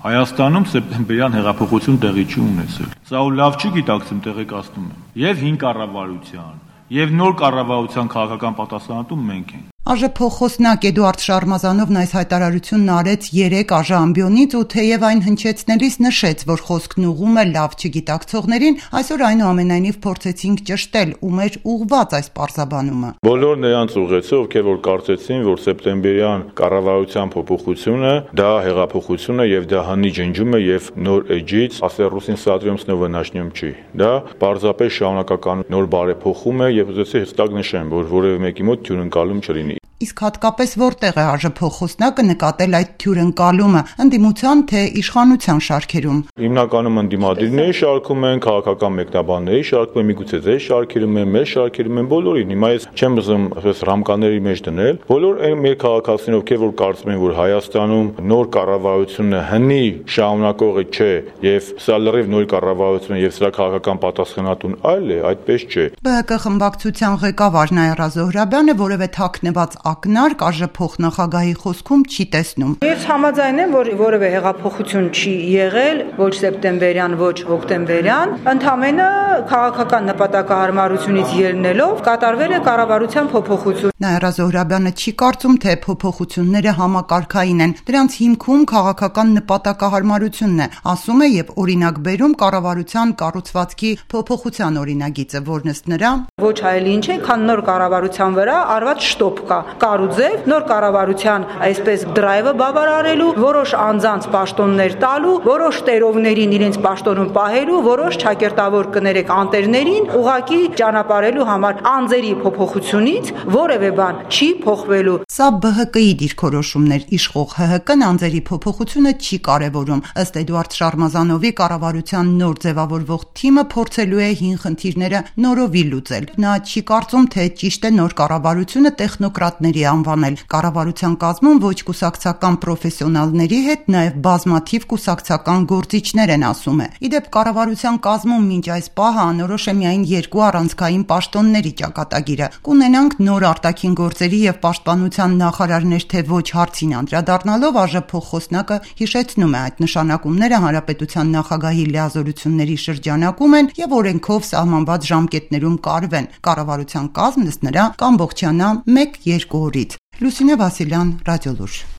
Հայաստանում սեպտեմբերյան հեղափոխություն տեղի չի ունեցել։ Սա ու լավ չի գիտակցում, տեղեկացնում եմ։ Եվ հին կառավարության, եւ նոր կառավարության քաղաքական պատասխանատու մենք ենք։ Փոխխոսնակ Էդուարդ Շարմազանովն այս հայտարարությունն արեց 3 ամբիոնից ու թեև այն հնչեցնելիս նշեց, որ խոսքն ուղղում է լավ չգիտակցողներին, այսօր այնուամենայնիվ փորձեցինք ճշտել ում էր ուղղված այս պարզաբանումը։ Բոլոր նրանց ուղղեցի, ովքեր որ կարծեցին, որ սեպտեմբերյան կառավարության փոփոխությունը դա հեղափոխություն է եւ դա հանի ջնջում է եւ նոր էջից ասերուսին սադրում снова начнем չի։ Դա պարզապես շարունակական նոր բարեփոխում է եւ ուզեցի հստակ նշեմ, որ որևէ մեկի մոտ թյուրընկալում չլինի։ Իսկ հատկապես որտեղ է փոխխոսնակը նկատել այդ թյուրընկալումը, ընդդիմության թե իշխանության շարքերում։ Հիմնականում ընդդիմադիրների շարքում են, քաղաքական մեկնաբանների շարքում են, միգուցե ձեր շարքերում են, մեր շարքերում են, բոլորին։ Հիմա ես չեմ ուզում այսպես ռամկաների մեջ դնել, բոլոր այն մեր քաղաքացիներով, ովքեր որ կարծում են, որ Հայաստանում նոր կառավարությունը հնի շարունակողը չէ եւ սա լրիվ նոր կառավարություն է եւ սրա քաղաքական պատասխանատուն այլ է, այդպես չէ։ ԲՀԿ խմբակցության ղեկավար Նաիրա Զոհրաբյանը որևէ թաքնված ակնարկ փոխնախագահի խոսքում չի տեսնում։ Ես համաձայն եմ, որ որևէ հեղափոխություն չի եղել, ոչ սեպտեմբերյան, ոչ հոկտեմբերյան, ընդամենը քաղաքական նպատակահարմարությունից ելնելով կատարվել է կառավարության փոփոխություն։ Նաիրա Զոհրաբյանը չի կարծում, թե փոփոխությունները համակարգային են, դրանց հիմքում քաղաքական նպատակահարմարությունն է, ասում է եւ օրինակ բերում կառավարության կառուցվածքի փոփոխության օրինագիծը, որն ըստ նրա ոչ այլ ինչ է, քան նոր կառավարության վրա արված շտոպ կա։ Կարուձև նոր կառավարության այսպես դրայվը բավարարելու, որոշ անձանց պաշտոններ տալու, որոշ տերովներին իրենց պաշտոնում պահելու, որոշ ճակերտավոր կներեք անտերներին ուղակի ճանապարհելու համար անձերի փոփոխությունից որևէ բան չի փոխվելու։ Սա ԲՀԿ-ի դիրքորոշումներ, իշխող ՀՀԿ-ն անձերի փոփոխությունը չի կարևորում։ Ըստ Էդուարդ Շարմազանովի կառավարության նոր ձևավորվող թիմը փորձելու է հին խնդիրները նորովի լուծել։ Նա չի կարծում, թե ճիշտ է նոր կառավարությունը տեխնոկրատների անվանել։ Կառավարության կազմում ոչ կուսակցական պրոֆեսիոնալների հետ նաև բազմաթիվ կուսակցական գործիչներ են, ասում է։ Իդեպ կառավարության կազմում մինչ այս պահը անորոշ է միայն 2 առանցքային պաշտոնների ճակատագիրը։ Կունենանք նոր արտաքին գործերի եւ պաշտպանության նախարարներ, թե ոչ հարցին անդրադառնալով փոխխոսնակը հիշեցնում է այդ նշանակումները հանրապետության նախագահի լիազորությունների շրջանակում են եւ օրենքով սահմանված ժամկետներում կարվեն։ Կառավարության կազմն ըստ նրա կամբողջանա 1-2 օրից։ Լուսինե Վասիլյան, Ռադիոլուր։